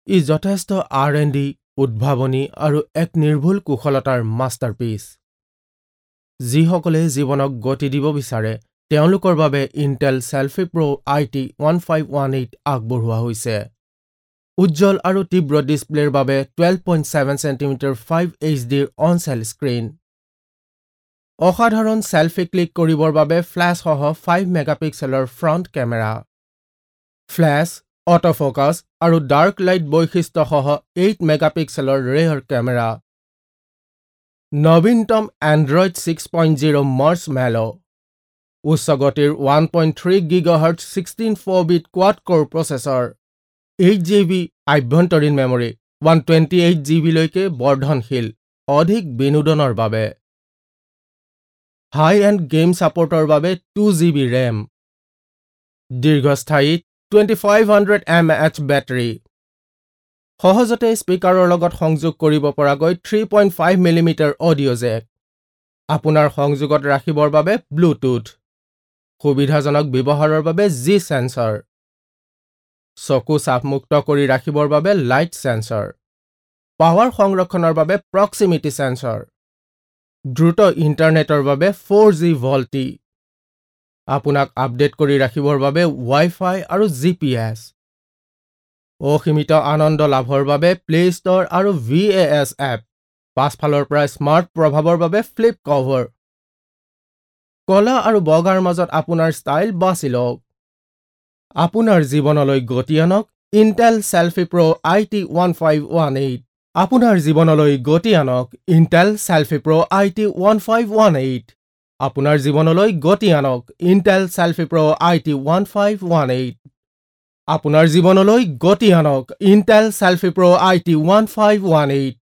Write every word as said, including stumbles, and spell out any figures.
ই যথেষ্ট R and D, উদ্ভাৱনী আৰু এক নিৰ্ভুল কুশলতাৰ মাষ্টাৰপিচ। যিসকলে জীৱনক গতি দিব বিচাৰে তেওঁলোকৰ বাবে Intel selfie pro I T one five one eight আগবঢ়োৱা হৈছে। উজ্জ্বল আৰু তীব্ৰ ডিছপ্লেৰ বাবে twelve point seven centimetre five H ডিৰ অন চেল স্ক্ৰীণ। অসাধাৰণ চেলফি ক্লিক কৰিবৰ বাবে ফ্লেছসহ ফাইভ মেগাপিক্সেলৰ ফ্ৰণ্ট কেমেৰা। ফ্লেছ, অট'ফ'কাছ আৰু ডাৰ্ক লাইট বৈশিষ্ট্যসহ এইট মেগাপিক্সেলৰ ৰেয়াৰ কেমেৰা। নৱীনতম Android six point zero Marshmallow. উচ্চ গতিৰ one point three gigahertz sixteen four bit quad core processor. Eight G B আভ্যন্তৰীণ memory, one twenty eight G বিলৈকে বৰ্ধনশীল, অধিক বিনোদনৰ বাবে। হাই এণ্ড গেম ছাপোৰ্টৰ বাবে টু জি বি ৰেম। দীৰ্ঘস্থায়ী twenty five hundred M H battery. সহজতে স্পীকাৰৰ লগত সংযোগ কৰিব পৰাকৈ three point five millimetre audio jack. আপোনাৰ সংযোগত ৰাখিবৰ বাবে ব্লুটুথ। সুবিধাজনক ব্যৱহাৰৰ বাবে জি চেন্সৰ। চকু চাপমুক্ত কৰি ৰাখিবৰ বাবে লাইট চেন্সৰ। পাৱাৰ সংৰক্ষণৰ বাবে প্ৰক্সিমিটি চেন্সৰ। দ্ৰুত ইণ্টাৰনেটৰ বাবে ফ'ৰ জি ভল্টি। আপোনাক আপডেট কৰি ৰাখিবৰ বাবে ৱাই-ফাই আৰু জি পি এছ। অসীমিত আনন্দ লাভৰ বাবে প্লে ষ্টৰ আৰু ভি এ এছ এপ। পাছফালৰ পৰা স্মাৰ্ট প্ৰভাৱৰ বাবে ফ্লিপ কভাৰ। কলা আৰু বগাৰ মাজত আপোনাৰ ষ্টাইল বাছি লওক। আপোনাৰ জীৱনলৈ গতি আনক Intel selfie pro I T one five one eight. আপোনাৰ জীৱনলৈ গতি আনক Intel selfie pro I T one five one eight. আপোনাৰ জীৱনলৈ গতি আনক Intel selfie pro I T one five one eight. আপোনাৰ জীৱনলৈ গতি আনক Intel selfie pro I T one five one eight.